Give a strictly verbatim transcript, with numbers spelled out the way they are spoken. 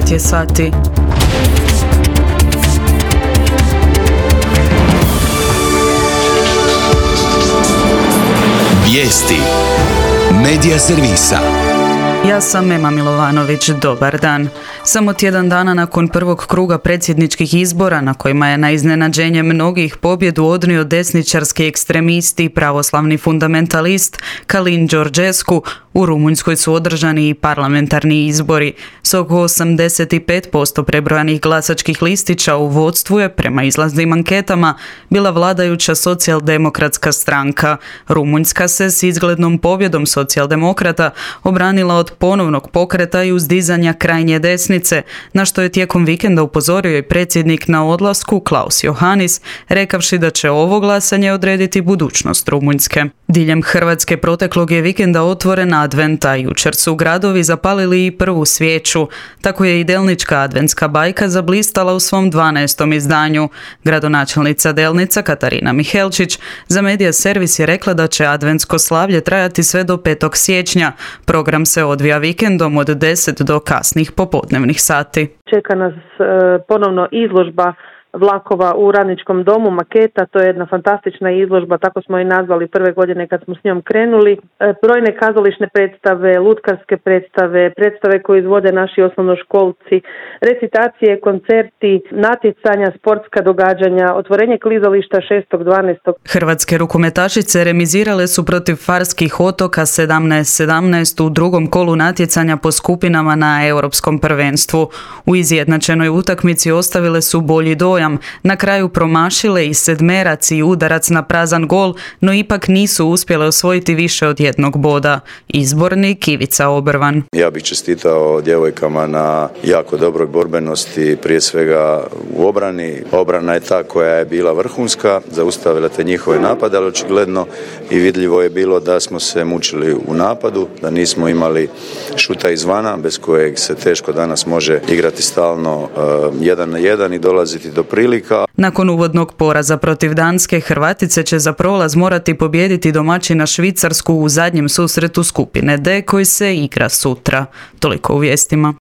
devet je sati. Vijesti Medija servisa. Ja sam Ema Milovanović, dobar dan. Samo tjedan dana nakon prvog kruga predsjedničkih izbora, na kojima je na iznenađenje mnogih pobjedu odnio desničarski ekstremist i pravoslavni fundamentalist Calin Georgescu, u Rumunjskoj su održani i parlamentarni izbori. S oko osamdeset pet posto prebrojanih glasačkih listića u vodstvu je, prema izlaznim anketama, bila vladajuća socijaldemokratska stranka. Rumunjska se s izglednom pobjedom socijaldemokrata obranila od ponovnog pokreta i uzdizanja krajnje desnice, na što je tijekom vikenda upozorio i predsjednik na odlasku Klaus Johannis, rekavši da će ovo glasanje odrediti budućnost Rumunjske. Diljem Hrvatske proteklog je vikenda otvoren advent, a jučer su gradovi zapalili i prvu svijeću. Tako je i Delnička adventska bajka zablistala u svom dvanaestom izdanju. Gradonačelnica Delnica Katarina Mihelčić za Medija servis je rekla da će adventsko slavlje trajati sve do petog siječnja. Program se odvija vikendom od deset do kasnih popodnevnih sati. Čeka nas e, ponovno izložba vlakova u Radničkom domu, maketa, to je jedna fantastična izložba, tako smo i nazvali prve godine kad smo s njom krenuli. E, brojne kazališne predstave, lutkarske predstave, predstave koje izvode naši osnovnoškolci, recitacije, koncerti, natjecanja, sportska događanja, otvorenje klizališta šestog dvanaestog Hrvatske rukometašice remizirale su protiv Farskih otoka sedamnaest sedamnaest u drugom kolu natjecanja po skupinama na Europskom prvenstvu. U izjednačenoj utakmici ostavile su bolji dojam. Na kraju promašile i sedmerac i udarac na prazan gol, no ipak nisu uspjele osvojiti više od jednog boda. Izbornik Ivica Obrvan. Ja bih čestitao djevojkama na jako dobroj borbenosti, prije svega u obrani. Obrana je ta koja je bila vrhunska, zaustavila te njihove napade, ali očigledno i vidljivo je bilo da smo se mučili u napadu, da nismo imali šuta izvana, bez kojeg se teško danas može igrati stalno uh, jedan na jedan i dolaziti do prilika. Nakon uvodnog poraza protiv Danske, Hrvatice će za prolaz morati pobijediti domaćina Švicarsku u zadnjem susretu skupine D koji se igra sutra. Toliko u vijestima.